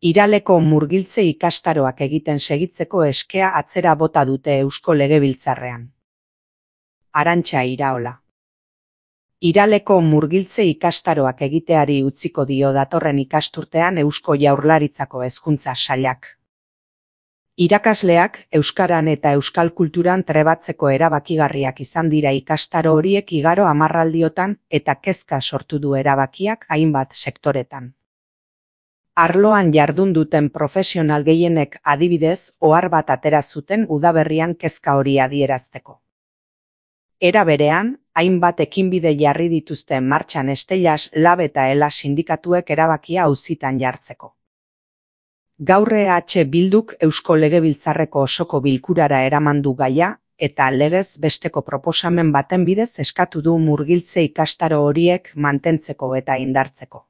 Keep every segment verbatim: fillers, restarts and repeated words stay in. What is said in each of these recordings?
Iraleko murgiltze ikastaroak egiten segitzeko eskea atzera bota dute Eusko Legebiltzarrean. Arantxa Iraola. Iraleko murgiltze ikastaroak egiteari utziko dio datorren ikasturtean Eusko Jaurlaritzako Hezkuntza Sailak. Irakasleak euskaran eta euskal kulturan trebatzeko erabakigarriak izan dira ikastaro horiek igaro hamarraldiotan eta kezka sortu du erabakiak hainbat sektoretan. Arloan jardun duten profesional gehienek adibidez ohar bat atera zuten udaberrian kezka hori adierazteko. Era berean, hainbat ekinbide jarri dituzte martxan Estellas, Lab eta Ela sindikatuek erabakia auzitan jartzeko. Gaur E H Bilduk Eusko Legebiltzarreko osoko bilkurara eraman du gaia eta legez besteko proposamen baten bidez eskatu du murgiltze ikastaro horiek mantentzeko eta indartzeko.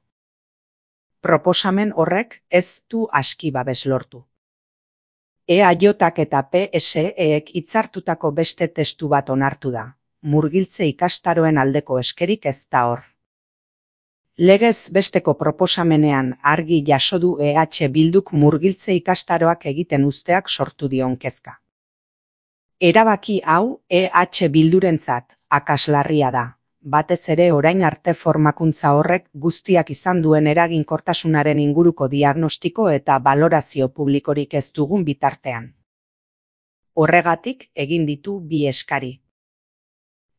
Proposamen horrek ez du aski babes lortu. E A J eta P S Ek hitzartutako beste testu bat onartu da. Murgiltze ikastaroen aldeko eskerik ez da hor. Legez besteko proposamenean argi jaso du E H Bilduk murgiltze ikastaroak egiten uzteak sortu dion kezka. Erabaki hau E H Bildurentzat akaslarria da, batez ere orain arte formakuntza horrek guztiak izan duen eraginkortasunaren inguruko diagnostiko eta balorazio publikorik ez dugun bitartean. Horregatik egin ditu bi eskari.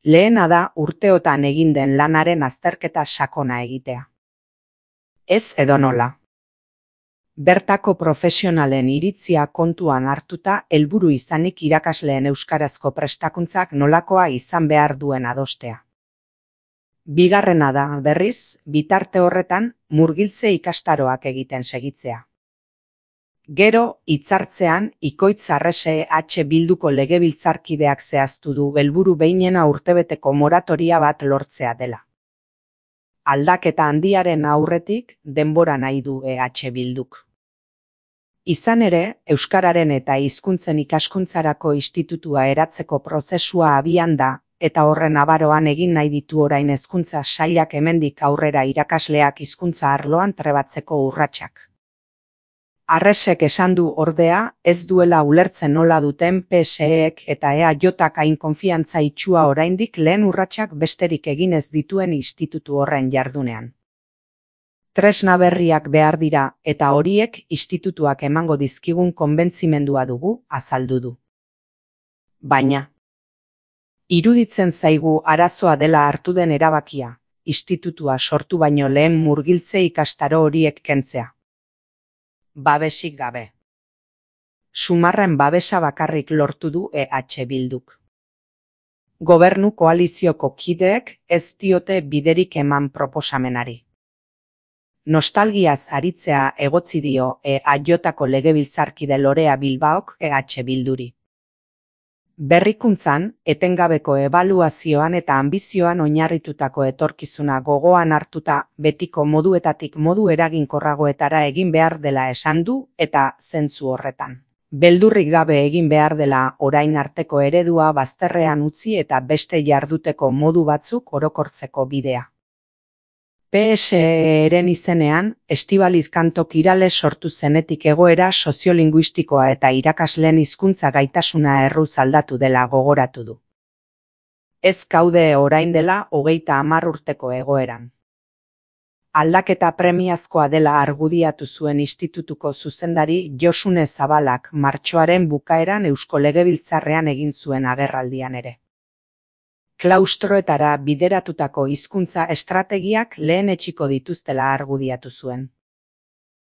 Lehena da urteotan egin den lanaren azterketa sakona egitea. Ez edonola. Bertako profesionalen iritzia kontuan hartuta helburu izanik irakasleen euskarazko prestakuntzak nolakoa izan behar duen adostea. Bigarrena da, berriz, bitarte horretan murgiltze ikastaroak egiten segitzea. Gero, hitzartzean, Ikoitz Arrese E H Bilduko legebiltzarkideak zehaztu du helburu behinena urtebeteko moratoria bat lortzea dela. Aldaketa handiaren aurretik denbora nahi du E H Bilduk. Izan ere, euskararen eta hizkuntzen ikaskuntzarako institutua eratzeko prozesua abian da, eta horren abaroan egin nahi ditu orain hezkuntza sailak hemendik aurrera irakasleak hizkuntza arloan trebatzeko urratsak. Arresek esan du ordea, ez duela ulertzen nola duten P S Ek eta E A Jak hain konfiantza itxua oraindik lehen urratsak besterik egin ez dituen institutu horren jardunean. Tresna berriak behar dira eta horiek institutuak emango dizkigun konbentzimendua dugu, azaldu du. Baina, iruditzen zaigu arazoa dela hartu den erabakia, institutua sortu baino lehen murgiltze ikastaro horiek kentzea. Babesik gabe. Sumarren babesa bakarrik lortu du E H Bilduk. Gobernu koalizioko kideek ez diote biderik eman proposamenari. Nostalgiaz aritzea egotzi dio E A Jko legebiltzarkide Lorea Bilbaok E H Bilduri. Berrikuntzan, etengabeko ebaluazioan eta anbizioan oinarritutako etorkizuna gogoan hartuta betiko moduetatik modu eraginkorragoetara egin behar dela esan du eta zentzu horretan. Beldurrik gabe egin behar dela orain arteko eredua bazterrean utzi eta beste jarduteko modu batzuk orokortzeko bidea. P S Eren izenean, Estibaliz Kantok Irale sortu zenetik egoera soziolinguistikoa eta irakasleen hizkuntza gaitasuna erruz aldatu dela gogoratu du. Ez gaude orain dela hogeita hamar urteko egoeran. Aldaketa premiazkoa dela argudiatu zuen institutuko zuzendari Josune Zabalak martxoaren bukaeran Eusko Legebiltzarrean egin zuen agerraldian ere. Klaustroetara bideratutako hizkuntza estrategiak lehen etsiko dituztela argudiatu zuen.